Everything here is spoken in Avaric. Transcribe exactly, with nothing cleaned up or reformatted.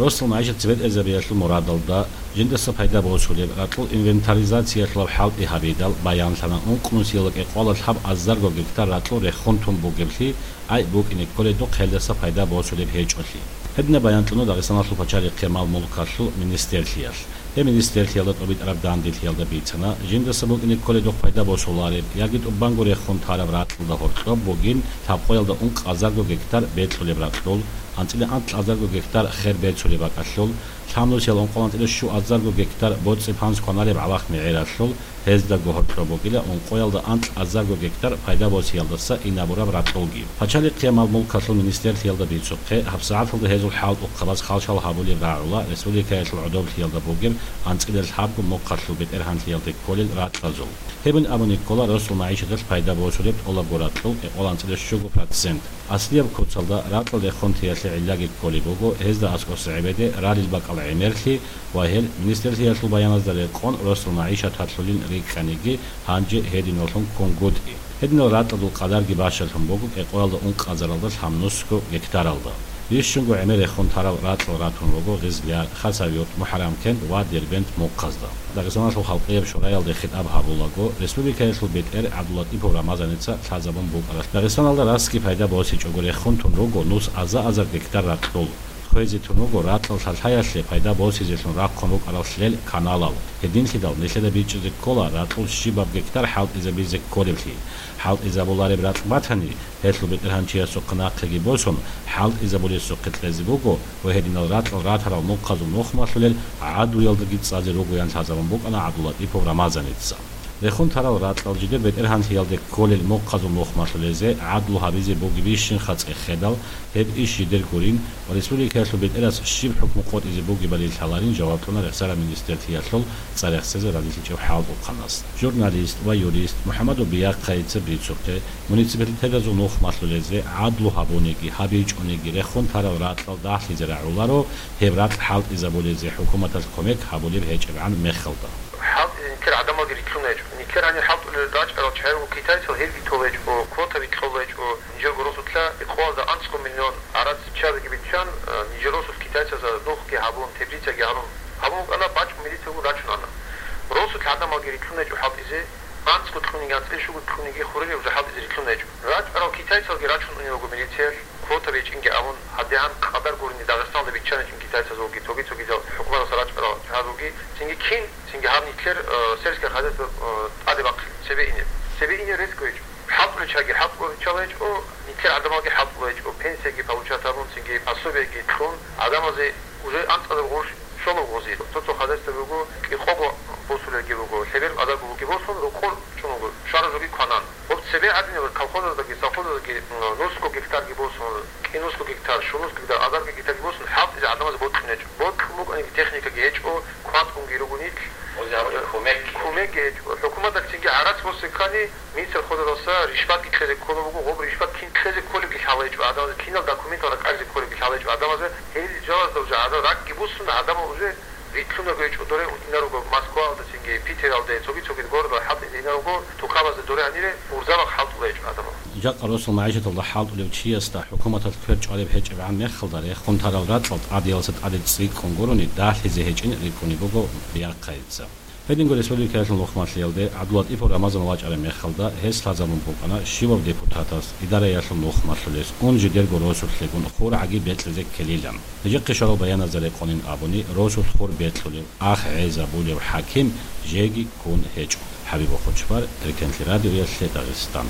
Росул магӀишат цебетӀезабиялъул мурадалда, жиндаса пайда босулеб ракьул инвентаризациялъулаб хӀалтӀи гьабидал, баянлъана ункънусиялда кӀикъоялда лъабазарго гектар ракьул рехун тун бугеблъи, гӀайиб букӀине кколедухъ гьелдаса пайда босулеб гьечӀолъи. Гьединаб баян кьуна Дагъистаналъул пачалихъе мал-мулкалъул министрлъиялъ. Гьеб министрлъиялда тӀубитӀараб дандилъиялда бицана, жиндаса букӀине кколедухъ пайда босулареб яги тӀубанго рехун тараб ракьалда гьоркьоб бугин лъабкъоялда ункъазарго гектар бекьулеб ракьул, анцӀила анкьазарго гектар хер берцулеб бакӀалъул, лъабнусиялда ункъоялда анцӀила щуазарго гектар боцӀи-панс кваналеб гӀалахъ мегӀералъул, гьездаго гьоркьоб бугила ункъоялда анкьазарго гектар пайда босиялдаса инабураб ракьулги. Пачалихъе мал-мулкалъул министрлъиялда бицухъе, гьабсагӀаталда гьезул хӀалтӀухъабаз хал-шал гьабулеб рагӀула республикаялъул гӀодоблъиялда бугеб анцӀила лъабго мухъалъул бетӀергьанлъиялде кколел ракьазул. Гьебин абуни ккола росул магӀишаталъ пайда босулеб тӀолабго ракьул кӀикъоялда анцӀила щуго процент. Аслияб куцалда ракьал рехун теялъе гӀиллаги кколеб буго гьезда аскӀоса гӀебеде ралел бакӀал гӀемерлъи ва гьел министрлъиялъул баяназда рекъон росул магӀишат гьалъулин рикӀкӀаниги, гьанже гьединаллъун ккунгутӀи. Гьединал ракьалдул къадарги бащалъун буго кӀикъоялда ункъазаралда лъабнусго гектаралда. Бищунго гӀемер рехун тарал ракьал ратун руго Гъизлияр, Хасавюрт, МухӀарамкент ва Дербент мухъазда. Дагъистаналъул халкъияб шураялде хитӀаб гьабулаго, республикаялъул бетӀер ГӀабдуллатӀипов Рамазаница лъазабун букӀаралъ, Дагъистаналда расги пайда босичӀого рехун тун руго нус аза-азар гектар ракьул. Хвезе тун руго ракьал лъалъаялъе пайда босизелъун рахъун рукӀарал лъел каналал. Гьединлъидал нилъеда бичӀчӀизе ккола ракьул щибаб гектар хӀалтӀизабизе кколеблъи. ХӀалтӀизабулареб ракь батани, гьелъул бетӀергьанчиясухъе нахъеги босун, хӀалтӀизабулесухъе кьезе буго ва гьединал ракьал ратарал мухъазул нухмалъулел гӀадлуялдаги цӀазе ругоян лъазабун букӀана ГӀабдуллатӀипов Рамазаница. Рехун тарал ракьал жидер бетӀергьанлъиялде кколел мухъазул нухмалъулезе гӀадлу гьабизе бугебищинха цӀехедал, гьеб иш жидер гурин ва республикаялъул бетӀерас щиб хӀукму къотӀизе бугебали лъаларин жаваб кьуна рехсараб министрлъиялъул цӀарахсезе разилъичӀеб хӀалтӀухъанас. Журналист ва юрист МухӀамадов Биахъайица бицухъе, муниципалитетазул нухмалъулезе гӀадлу гьабуниги, гьабичӀониги рехун тарал ракьал дагьлъизе рагӀуларо, гьеб ракь хӀалтӀизабулезе хӀукуматалъ кумек гьабулеб гьечӀебгӀан мехалда. ХӀалтӀизе нилъер гӀадамалги рилълъун гьечӀо. Нилъер гьанир хӀалтӀулел рачӀарал чагӀи руго китайцал, гьелги толеб гьечӀо, квота бикьулеб гьечӀо. Нижерго росулъа кӀикъоялда анцӀго миллион гӀарац чиясеги биччан, э, нижер росулъ китайцазда нухги гьабун, теплицаги гьарун, гьабун букӀана, бачӀун милицаго рачун ана. Росулъ гӀадамалги рилълъун гьечӀо хӀалтӀизе, анцӀго кьуниги, анцӀила щуго кьуниги хуринаб жо хӀалтӀизе рилълъун гьечӀо. РачӀарал китайцалги рачун унел руго милициялъ, квота бичӀчӀинги абун, гьадигӀан къадар гурони Дагъистаналда биччаничӀин китайцазулги, цоги-цогидал хӀукуматалъа рачӀарал чагӀазулги, цинги кин, цинги гьаб нилъер, э, сельское хозяйство, э, тӀаде бахъин, цебе ине. Цебе ине рес гьечӀо. ХӀалтӀулел чагӀи хӀалтӀулел риччала гьечӀо, нилъер гӀадамалги хӀалтӀула гьечӀо, пенсияги получат гьабун, цинги пособиеги кьун, гӀадамазе уже анцӀазаб гъурущ щолеб гъозие. Цо-цо хозяйство буго, кӀикъого босулелги буго, лъеберго азарго буги босун, рокъор чӀун буго, щвараб жоги кванан. Гьоб цебе гӀадинаб колхозаздаги, совхозаздаги, м, нусго гектарги босун, кӀинусго гектар, щунусго гектар, азарго гектарги босун, хӀалтӀизе гӀадамазе бокьун гьечӀо. Бокьун букӀаниги техникаги гьечӀо, кватӀунги руго нилъ. Озе гьабулеб кумек. Кумекги гьечӀо. ХӀукуматалъ цинги гӀарац босизе ккани, министр хозадаса ришватги кьезе кколеб буго, гъоб ришват кин кьезе кколебги лъала гьечӀо гӀадамазе, кинал документал ракӀалде кколебги лъала гьечӀо гӀадамазе, гьел жалазда уже гӀадамал ракӀги буссун, гӀадамал уже рилълъунарго гьечӀо доре инаруго Москваялда, цинги Питералде, цоги-цогид городал хӀалтӀизе инаруго, тукабазда доре гьанире урзабахъ хӀалтӀула гьечӀо гӀадамал. Жакъа росул магӀишаталда хӀалтӀулев чиясда хӀукуматалъ квер чӀвалеб гьечӀебгӀан мехалда рехун тарал ракьал тӀадиялдаса тӀаде цӀикӀкӀун гурони дагьлъизе гьечӀин рикӀкӀунеб буго Биахъайица. Гьединго республикаялъул нухмалъиялде ГӀабдуллатӀипов Рамазан вачӀараб мехалда гьес лъазабун букӀана щивав депутатас, идараялъул нухмалъулес, ун жидерго росулъегун хургӀаги бекьизе ккелилан. ГьечӀехъе щварал баяназда рекъонин абуни, росулъ хур бекьулев, ах гӀезабулев хӀаким жеги ккун гьечӀо. ХӀабиб Хучбар, Эркенлъи радиоялъе Дагъистан.